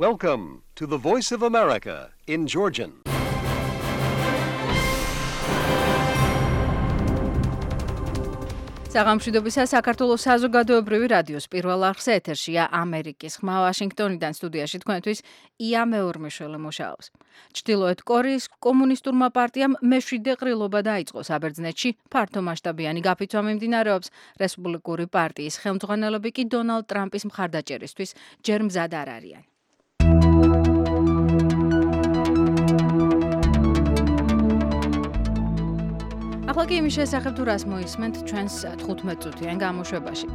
Welcome to the Voice of America in Georgian. საღამოშვიდობისა საქართველოს საზოგადოებრივი რადიოს პირველ არხზე ეთერშია ამერიკის ხმა ვაშინგტონიდან სტუდიაში თქვენთვის ია მეორმეშველი მუშაობს. ჩრდილოეთ კორეის კომუნისტურმა პარტიამ მეშვიდე ყრილობა დაიწყო საბერძნეთში, ფართო მასშტაბიანი გაფიცვა მიმდინარეობს. რესპუბლიკური პარტიის ხელმძღვანელები კი დონალდ ტრამპის მხარდაჭერისთვის ჯერ მზად არ არიან. ახლა კი იმის შესახებ თუ რას მოისმენთ ჩვენს 15 წუთიან გამოშვებაში.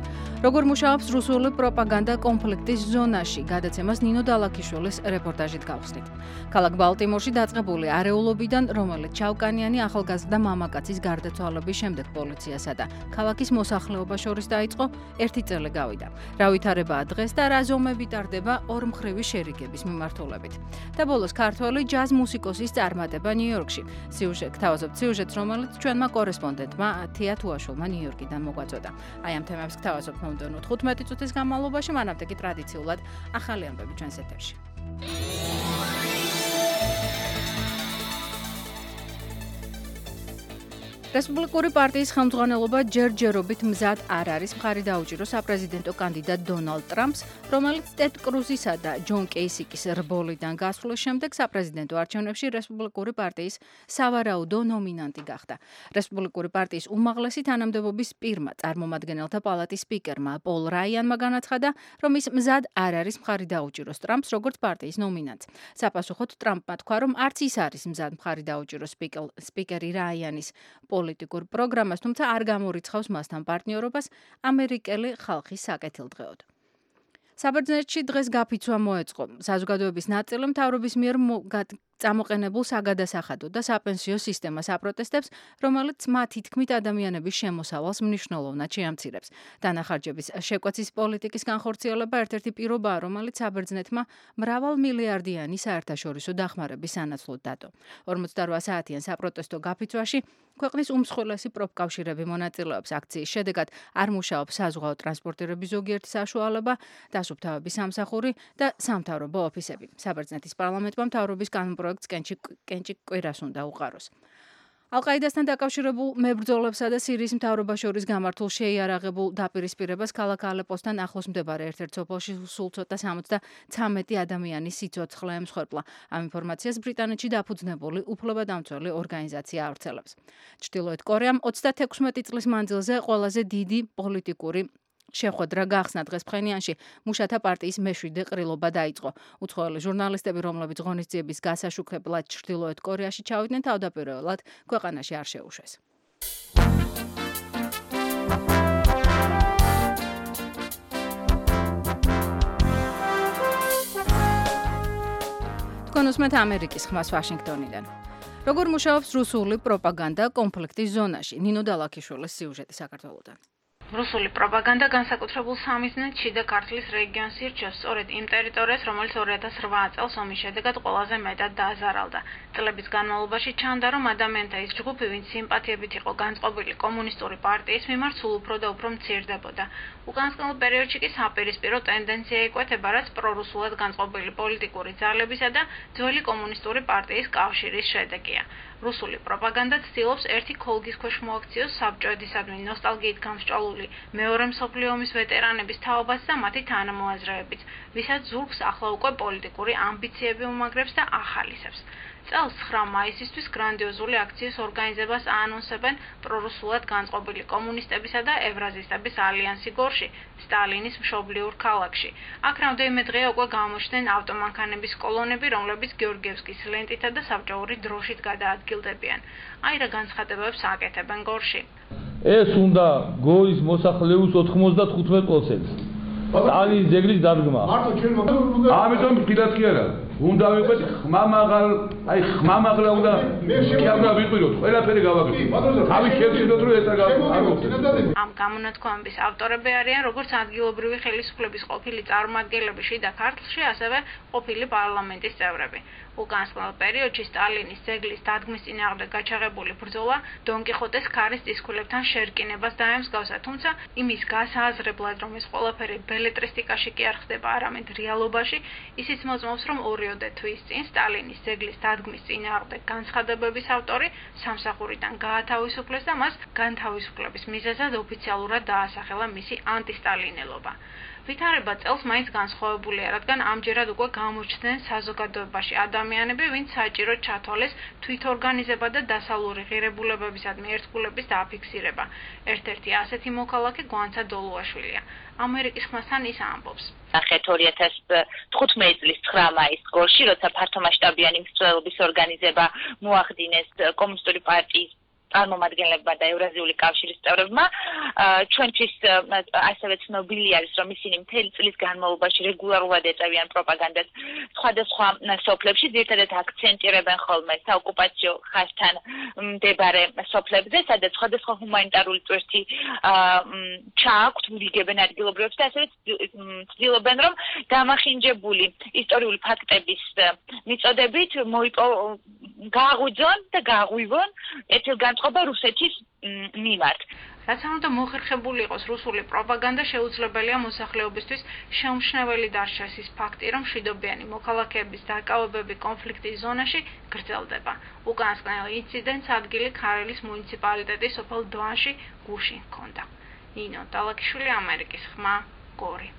როგორ მუშაობს რუსული პროპაგანდა კონფლიქტის ზონაში, გადაცემას ნინო დალაქიშვილის რეპორტაჟით გავხსნით. ქალაქ ბალტიმორში დაწყებული არეულობიდან, რომელიც ჩავკანიანი ახალგაზრდა მამაკაცის გარდაცვალების შემდეგ პოლიციასა და ქალაქის მოსახლეობას შორის დაიწყო, 1 წელი გავიდა. რა ვითარებაა დღეს და რა ზომები ტარდება ორმხრივი შერიგების მიმართულებით. და ბოლოს ქართველი ჯაზ მუსიკოსის წარმატება ნიუ-იორკში. გთავაზობთ სიუჟეტს, რომელიც ჩვენმა კორესპონდენტმა თია თუაშულმა ნიუ-იორკიდან მოგვაწოდა. აი ამ თემებს გთავაზობთ მომდევნო 15 წუთის განმავლობაში, მანამდე კი ტრადიციულად ახალი ამბები ჩვენს ეთერში. რესპუბლიკური პარტიის ხელმძღვანელობა ჯერჯერობით მზად არ არის მხარი დაუჭიროს საპრეზიდენტო კანდიდატ დონალდ ტრამპს, რომელიც ტედ კრუზისა და ჯონ კეისიკის რბოლიდან გასვლის შემდეგ საპრეზიდენტო არჩევნებში რესპუბლიკური პარტიის სავარაუდო ნომინანტი გახდა. რესპუბლიკური პარტიის უმაღლესი თანამდებობის პირმა წარმომადგენელთა პალატის სპიკერმა პოლ რაიანმა განაცხადა, რომ ის მზად არ არის მხარი დაუჭიროს ტრამპს როგორც პარტიის ნომინანტს. საპასუხოდ ტრამპმა თქვა, რომ არც ის არის მზად მხარი დაუჭიროს სპიკერი რაიანის პოლიტიკურ პროგრამას, თუმცა არ გამორიცხავს მასთან პარტნიორობას ამერიკელი ხალხის საკეთილდღეოდ. საბერძნეთში დღეს გაფიცვა მოეწყო. საზოგადოების ნაწილი მთავრობის მიერ წამოყენებულ საგადასახადო და საპენსიო სისტემას აპროტესტებს, რომელიც მათი თქმით ადამიანების შემოსავალს მნიშვნელოვნად შეამცირებს. დანახარჯების შეკვეცის პოლიტიკის განხორციელება ერთ-ერთი პირობაა, რომელიც საბერძნეთმა მრავალმილიარდიანი საერთაშორისო დახმარების სანაცვლოდ დადო. 48 საათიან საპროტესტო გაფიცვაში ქვეყნის უმსხვილესი პროფკავშირები მონაწილეობს. აქციის შედეგად არ მუშაობს საზღვაო ტრანსპორტირების ზოგიერთი საშუალება, დასუფთავების სამსახური და სამთავრობო ოფისები. საბერძნეთის პარლამენტმა მთავრობის პროექტს კენჭი კვირას უნდა უყაროს. ალ-ყაიდასთან დაკავშირებულ მებრძოლებსა და სირიის მთავრობას შორის გამართულ შეიარაღებულ დაპირისპირებას ქალაქ ალეპოსთან ახლოს მდებარე ერთ-ერთ სოფელში სულ ცოტა 73 ადამიანის სიცოცხლე ემსხვერპლა. ამ ინფორმაციას ბრიტანეთში დაფუძნებული უფლებადამცველი ორგანიზაცია ავრცელებს. ჩრდილოეთ კორეამ 36 წლის მანძილზე ყველაზე დიდი პოლიტიკური შეხვედრა გახსნა დღეს ფხენიანში მუშათა პარტიის მეშვიდე ყრილობა დაიწყო. უცხოელი ჟურნალისტები, რომლებიც ღონისძიების გასაშუქებლად ჩრდილოეთ კორეაში ჩავიდნენ, თავდაპირველად ქვეყანაში არ შეუშვეს. თქვენ უსმენთ ამერიკის ხმას ვაშინგტონიდან. როგორ მუშაობს რუსული პროპაგანდა კონფლიქტის ზონაში? ნინო დალაქიშვილის სიუჟეტი საქართველოდან. რუსული პროპაგანდა განსაკუთრებულ სამიზნედ შიდა ქართლის რეგიონს ირჩევს სწორედ იმ ტერიტორიას, რომელიც 2008 წელს ომის შედეგად ყველაზე მეტად დააზარალდა. წლების განმავლობაში ჩანდა, რომ ადამიანთა ის ჯგუფი, ვინც სიმპათიებით იყო განწყობილი კომუნისტური პარტიის მიმართ, სულ უფრო და უფრო მცირდებოდა. უკანასკნელ პერიოდში კი საპირისპირო ტენდენცია იკვეთება, რაც პრორუსულად განწყობილი პოლიტიკური ძალებისა და ძველი კომუნისტური პარტიის კავშირის შედეგია. რუსული პროპაგანდა ცდილობს ერთი ქოლგის ქვეშ მოაქციოს საბჭოეთისადმი ნოსტალგიით გამსჭვალული მეორე მსოფლიო ომის ვეტერანების თაობაც და მათი თანამოაზრეებიც, ვისაც ზურგს ახლა უკვე პოლიტიკური ამბიციები უმაგრებს და ახალისებს. წელს 9 მაისისთვის გრანდიოზული აქციის ორგანიზებას აანონსებენ პრორუსულად განწყობილი კომუნისტებისა და ევრაზისტების ალიანსი გორში, სტალინის მშობლიურ ქალაქში. აქ რამდენიმე დღეა უკვე გამოჩნდნენ ავტომანქანების კოლონები, რომლებიც გეორგიევსკის ლენტითა და საბჭოური დროშით გადაადგილდებიან. აი რა განცხადებებს აკეთებენ გორში. ეს უნდა გორის მოსახლეობის 95%. სტალინის ძეგლის დადგმა. ამიტომ ფილად კი არა. უნდა ვიყვეთ ხმამაღალ, აი ხმამაღლა უნდა კი არ უნდა ვიყვიროთ, ყველაფერი გავაკეთოთ. თავის შევცინოთ რომ ეს არ გავაკეთოთ. ამ გამონათქვამების ავტორები არიან როგორც ადგილობრივი ხელისუფლების ყოფილი წარმომადგენლები შიდა ქართლში, ასევე ყოფილი პარლამენტის წევრები. უკანასკნელ პერიოდში სტალინის ძეგლის დადგმის წინააღმდეგ გაჩაღებული ბრძოლა დონ კიხოტეს ქარის წისქვილებთან შერკინებას დაემსგავსა, თუმცა იმის გასააზრებლად, რომ ეს ყველაფერი ბელეტრისტიკაში კი არ ხდება, არამედ რეალობაში, ისიც მოწმობს, რომ 2 თვის წინ სტალინის ძეგლის დადგმის წინააღმდეგ განცხადებების ავტორი სამსახურიდან გაათავისუფლეს და მას განთავისუფლების მიზეზად ოფიციალურად დაასახელა მისი ანტისტალინელობა. ვითარება წელს მაინც განსხვავებულია, რადგან ამჯერად უკვე გამოჩნდნენ საზოგადოებაში ადამიანები, ვინც საჭიროდ ჩათვალეს თვითორგანიზება და დასავლური ღირებულებებისადმი ერთგულების დააფიქსირება. ერთ-ერთი ასეთი მოქალაქე გვანცა დოლუაშვილია. ამერიკის ხმასთან ის ამბობს. ნახეთ 2015 წლის 9 მაისს გორში, როცა ფართომასშტაბიანი მსვლელობის ორგანიზება მოახდინეს კომუნისტური პარტიის წარმომადგენლებმა და ევრაზიული კავშირის წევრებმა, ჩვენთვის ასევე ცნობილი არის, რომ ისინი მთელი წლის განმავლობაში რეგულარულად ეწევიან პროპაგანდას სხვადასხვა სოფლებში, ძირითადად აქცენტირებენ ხოლმე საოკუპაციო ხაზთან მდებარე სოფლებზე, სადაც სხვადასხვა ჰუმანიტარული წვერთი ჩააქვთ, ულიგებენ ადგილობრივებს და ასევე ცდილობენ, რომ დამახინჯებული ისტორიული ფაქტების მიწოდებით გააღვიძონ და გააღვივონ ეთილგანწყობა რუსეთის მიმართ. რაც არ უნდა მოხერხებული იყოს რუსული პროპაგანდა, შეუძლებელია მოსახლეობისთვის შეუმჩნეველი დარჩეს ის ფაქტი, რომ მშვიდობიანი მოქალაქეების დაკავებები კონფლიქტის ზონაში გრძელდება. უკანასკნელ ინციდენტს ადგილი ქარელის მუნიციპალიტეტის სოფელ დვანში გუშინ ჰქონდა. ნინო დალაკიშვილი, ამერიკის ხმა, გორი.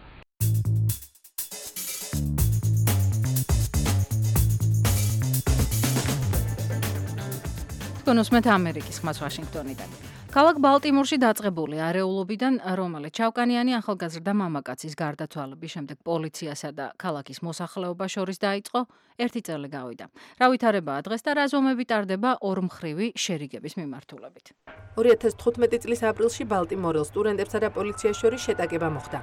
კონსმეთ ამერიკის ხმას ვაშინგტონიდან. ქალაქ ბალტიმორში დაწყებული არეულობიდან, რომელიც ჩავკანიანი ახალგაზრდა მამაკაცის გარდაცვალების შემდეგ პოლიციასა და ქალაქის მოსახლეობას შორის დაიწყო, 1 წელი გავიდა. რა ვითარებაა დღეს და რა ზომები ტარდება ორმხრივი შერიგების მიმართულებით. 2015 წლის აპრილში ბალტიმორელ სტუდენტებსა და პოლიციას შორის შეტაკება მოხდა.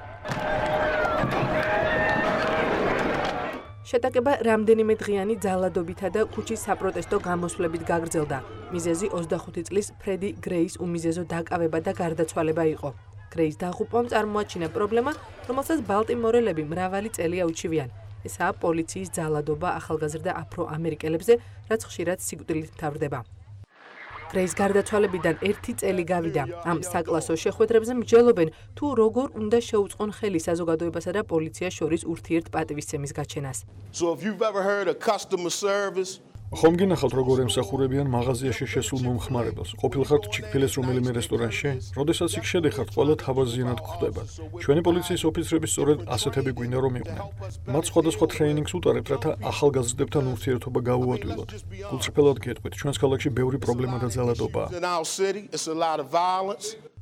შეტაკება რამდენიმე დღიანი ძალადობითა და ქუჩის საპროტესტო გამოსვლებით გაგრძელდა. მიზეზი 25 წლის ფრედი გრეის უმიზეზო დაკავება და გარდაცვალება იყო. გრეის დაღუპვამ წარმოაჩინა პრობლემა, რომელსაც ბალტიმორელები მრავალი წელია უჩივიან. ესაა პოლიციის ძალადობა ახალგაზრდა აფრო-ამერიკელებზე, რაც ხშირად სიკვდილით მთავრდება. გრეის გარდაცვალებიდან 1 წელი გავიდა. ამ საკლასო შეხვედრებზე მსჯელობენ, თუ როგორ უნდა შეუწყონ ხელი საზოგადოებასა და პოლიციას შორის ურთიერთპატივისცემის გაჩენას. ხომ გინახავთ როგორ ემსახურებიან მაღაზიაში შესულ მომხმარებელს? ყოფილხართ ჩიკ-ფილეს რომელიმე რესტორანში? როდესაც იქ შედიხართ, ყველა თავაზიანად გვხვდებათ. ჩვენი პოლიციის ოფიცრები სწორედ ასეთები გვინდა რომ იყვნენ. მათ სხვადასხვა ტრეინინგს უტარებთ, რათა ახალგაზრდებთან ურთიერთობა გაუადვილოთ. გულწრფელად გეტყვით, ჩვენს ქალაქში ბევრი პრობლემა და ძალადობაა.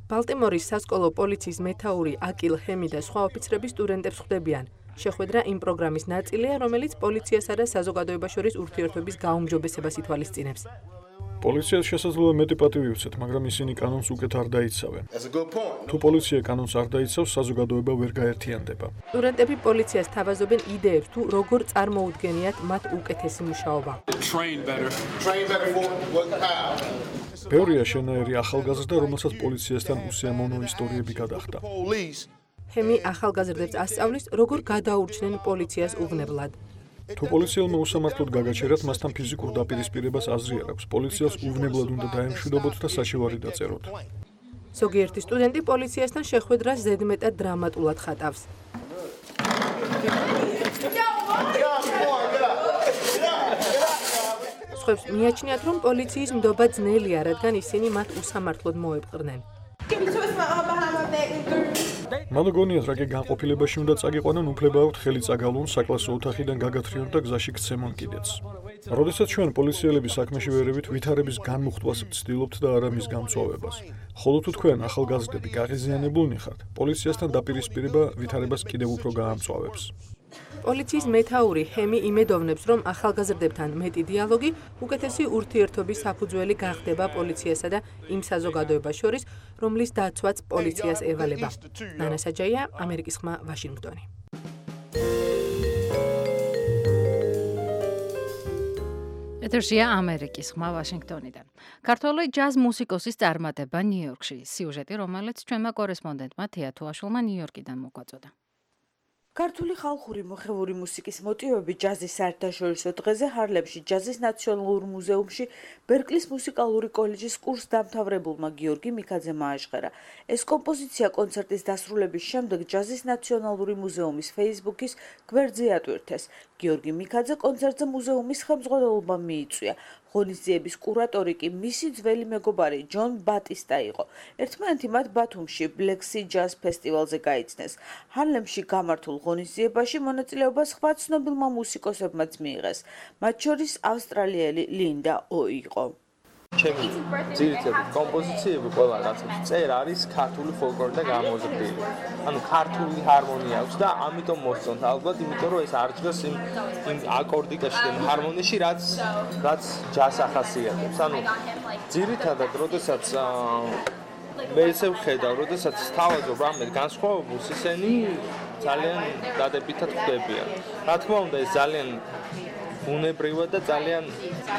ბალტიმორის სასკოლო პოლიციის მეთაური აკილ ჰემი და სხვა ოფიცრები სტუდენტებს ხვდებიან. შეხვედრა იმ პროგრამის ნაწილია, რომელიც პოლიციასა და საზოგადოებას შორის ურთიერთობის გაუმჯობესებას ითვალისწინებს. პოლიციას შესაძლოა მეტი პატივი უცეთ, მაგრამ ისინი კანონს უკეთ არ დაიცავენ. თუ პოლიცია კანონს არ დაიცავს, საზოგადოება ვერ გაერთიანდება. სტუდენტები პოლიციას თავაზობენ იდეებს, თუ როგორ წარმოუდგენიათ მათ უკეთესი მუშაობა. ბევრია შენაერი ახალგაზრდა, რომელსაც პოლიციასთან უსიამოვნო ისტორიები გადახდა. ჰემი ახალგაზრდებს ასწავლის, როგორ გადაურჩნენ პოლიციას უვნებლად. თუ პოლიციელმა უსამართლოდ გაგაჩერათ, მასთან ფიზიკურ დაპირისპირებას აზრი არ აქვს. პოლიციას უვნებლად უნდა დაემშვიდობოთ და საშევარი დაწეროთ. ზოგიერთი სტუდენტი პოლიციასთან შეხვედრას ზედმეტად დრამატულად ხატავს. სხვებს მიაჩნიათ, რომ პოლიციის ნდობა ძნელია, რადგან ისინი მათ უსამართლოდ მოეპყრნენ. მან გონიათ, რა კი განყოფილებაში უნდა წაგიყვანონ, უფლება აქვთ ხელი წაგავლონ საკლასო ოთახიდან გაგათრიონ და გზაში გცემონ კიდეც. როდესაც ჩვენ პოლიციელები საქმეში ვერევით, ვითარების განმუხტვას ვცდილობთ და არა მის გამწვავებას. ხოლო თუ თქვენ ახალგაზრდები გაღიზიანებულნი ხართ, პოლიციასთან დაპირისპირება ვითარებას კიდევ უფრო გაამწვავებს. პოლიციის მეთაური ჰემი იმედოვნებს, რომ ახალგაზრდებთან მეტი დიალოგი უკეთესი ურთიერთობის საფუძველი გახდება პოლიციასა და იმ საზოგადოებას შორის, რომლის დაცვაც პოლიციას ევალება. ნანა საჯაია, ამერიკის ხმა, ვაშინგტონი. ეთერშია ამერიკის ხმა ვაშინგტონიდან. ქართველი ჯაზ მუსიკოსის წარმატება ნიუ-იორკში. სიუჟეტი, რომელიც ჩვენმა კორესპონდენტმა თეა თუაშვილმა ნიუ-იორკიდან მოგვაწოდა. ქართული ხალხური მოხევური მუსიკის მოტივები ჯაზის საერთაშორისო დღეზე ჰარლემში ჯაზის ნაციონალურ მუზეუმში ბერკლის მუსიკალური კოლეჯის კურსდამთავრებულმა გიორგი მიქაძემ ააშხერა. ეს კომპოზიცია კონცერტის დასრულების შემდეგ ჯაზის ნაციონალური მუზეუმის Facebook-ის გვერდზე ატვირთეს. გიორგი მიქაძე კონცერტზე მუზეუმის ხელმძღვანელობამ მიიწვია. ღონისძიების კურატორი კი მისი ძველი მეგობარი ჯონ ბატისტა იყო. ერთმანეთი მათ ბათუმში ბლექსი ჯაზ ფესტივალზე გაიცნეს. ჰარლემში გამართულ ღონისძიებაში მონაწილეობა სხვა ცნობილმა მუსიკოსებმაც მიიღეს. მათ შორის ავსტრალიელი ლინდა ო იყო. ჩემი ძირითადი კომპოზიციები ყველა რაღაცა წერ არის ქართული ფოლკლორი და გამოზრდილი. ანუ ქართული ჰარმონია აქვს და ამიტომ მოსწონთ ალბათ, იმიტომ რომ ეს არ ჯგოს იმ აკორდიკაში და ჰარმონიაში, რაც ჯაზს ახასიათებს. ანუ ძირითადად, როდესაც მე ესე ვხედავ, როდესაც თავაზობ რამე განსხვავებულს, ისინი ძალიან დადებითად ხდებიან. რა თქმა უნდა, ეს ძალიან უნებრივად და ძალიან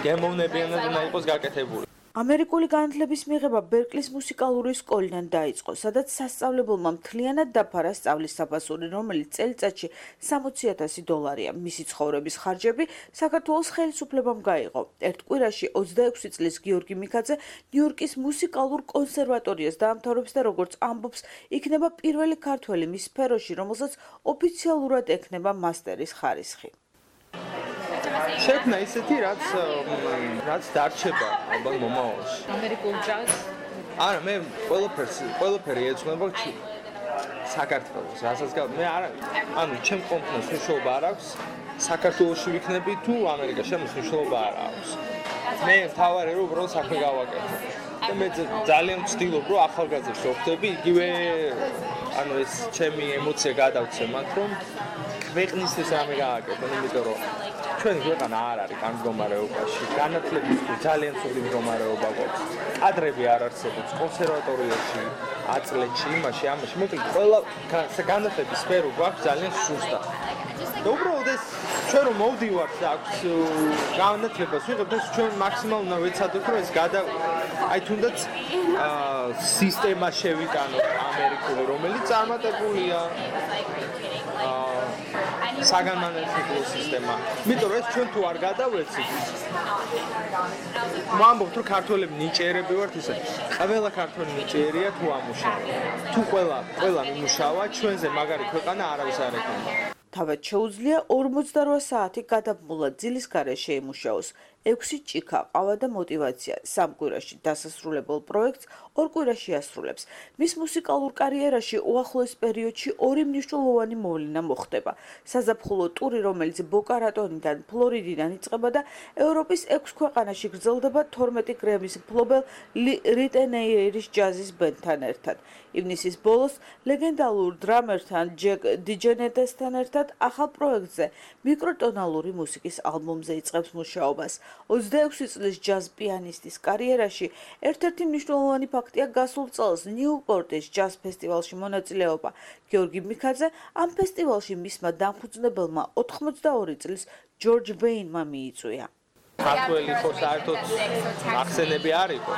გემოვნებიანად უნდა იყოს გაკეთებული. ამერიკული განათლების მიღება ბერკლის მუსიკალური სკოლიდან დაიწყო, სადაც სასწავლებელმა მთლიანად დაფარა სწავლის საფასური, რომელიც წელიწადში $60,000-ია. მისი ცხოვრების ხარჯები საქართველოს ხელისუფლებამ გაიღო. ერთ კვირაში 26 წლის გიორგი მიქაძე ნიუ-იორკის მუსიკალურ კონსერვატორიას დაამთავრებს და როგორც ამბობს, იქნება პირველი ქართველი მის სფეროში, რომელსაც ოფიციალურად ექნება მასტერის ხარისხი. შექმნა ისეთი, რაც დარჩება ალბათ მომავალში. ამერიკულ ჯაზს? არა, მე ყველაფერი ეძღვნება საქართველოს. რასაც მე არა, ანუ ჩემ კომპანიას მნიშვნელობა არ აქვს, საქართველოში ვიქნები თუ ამერიკაში, ამის მნიშვნელობა არ აქვს. მე თავარი რომ უბრალოდ საქმე გავაკეთო. და მე ძალიან ვცდილობ რომ ახალგაზრდებს ვხვდები, იგივე ანუ ეს ჩემი ემოცია გადავცე მათ რომ ქვეყნისთვის რამე გააკეთო, იმიტომ რომ ჩვენი ქვეყანა არ არის ამ მდგომარეობაში. განათლების ძალიან ცუდი მდგომარეობა გვაქვს. კადრები არ არსებობს კონსერვატორიაში, აწლეთში, იმაში, ამაში. მოკლედ, ყველა განათლების სფერო გვაქვს ძალიან სუსტა. და უბრალოდ ეს ჩვენ რომ მოვდივართ და აქვს განათლებას ვიღებთ, ეს ჩვენ მაქსიმალურად უნდა ვეცადოთ, რომ ეს აი თუნდაც სისტემა შევიტანოთ ამერიკული, რომელიც წარმატებულია საგანმანათლებლო სისტემა. იმიტომ რომ ეს ჩვენ თუ არ გადავეცით, ვამბობთ რომ ქართველები ნიჭიერები ვართ ისე. ყველა ქართველი ნიჭიერია თუ ამუშავა. თუ ყველა მიმუშავა, ჩვენზე მაგარი ქვეყანა არავის არ ექნება. თავად შეუძლია 48 საათი გადაბმულად ძილის გარეშე შეიმუშაოს. 6 ჭიქა, ყავა და მოტივაცია. 3 კვირაში დასასრულებელ პროექტს 2 კვირაში ასრულებს. მის მუსიკალურ კარიერაში უახლოეს პერიოდში 2 მნიშვნელოვანი მოვლენა მოხდება. საზაფხულო ტური, რომელიც ბოკა-რატონიდან, ფლორიდიდან იწყება და ევროპის 6 ქვეყანაში გრძელდება 12 გრემის მფლობელ რიტენეიერის ჯაზის ბენდთან ერთად. ივნისის ბოლოს ლეგენდალურ დრამერთან ჯეკ დიჯენეტესთან ერთად ახალ პროექტზე, მიკროტონალური მუსიკის ალბომზე იწყებს მუშაობას. 26 წლის ჯაზ პიანისტის კარიერაში ერთ-ერთი მნიშვნელოვანი ფაქტია გასულ წელს ნიუპორტის ჯაზ ფესტივალში მონაწილეობა. გიორგი მიქაძე ამ ფესტივალში მისმა დამფუძნებელმა 82 წლის ჯორჯ ვეინმა მიიწვია. ქართველი ხო საერთოდ ახსენები არ იყო.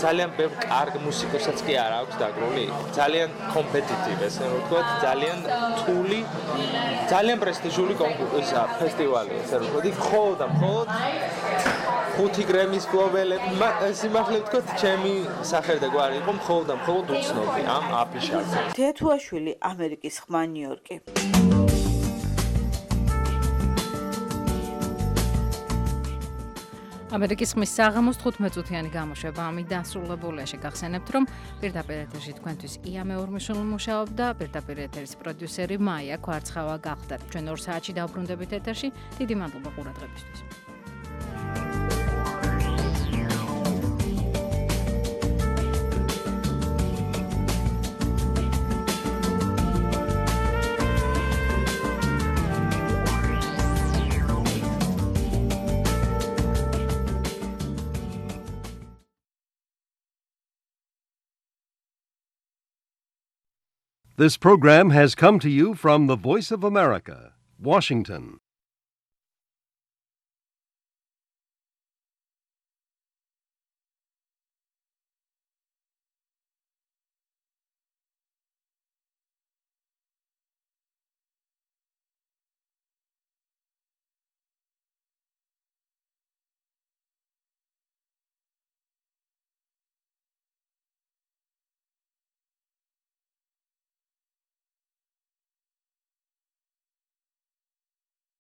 ძალიან ბევრ კარგ მუსიკოსაც კი არ აქვს დაგრული. ძალიან კომპეტიტივ, ესე რომ ვთქვათ, ძალიან რთული, ძალიან პრესტიჟული კონკურსია, ფესტივალი, ესე რომ ვთქვათ, მხოლოდ 5 გრემის მფლობელები, სიმართლე ვთქვათ, ჩემი სახელი და გვარი იყო მხოლოდ უცნობი ამ აფიშაზე. თეა თუაშვილი, ამერიკის ხმა, ნიუ-იორკი. ამერიკის ხმის საღამოს 15 წუთიანი გამოშვება ამით დასრულებულია. შეგახსენებთ, რომ პირდაპირ ეთერში თქვენთვის ია მეორმიშვილი მუშაობდა, პირდაპირ ეთერის პროდიუსერი მაია კვარცხავა გახდათ. ჩვენ 2 საათში დავბრუნდებით ეთერში. დიდი მადლობა ყურადღებისთვის. This program has come to you from the Voice of America, Washington.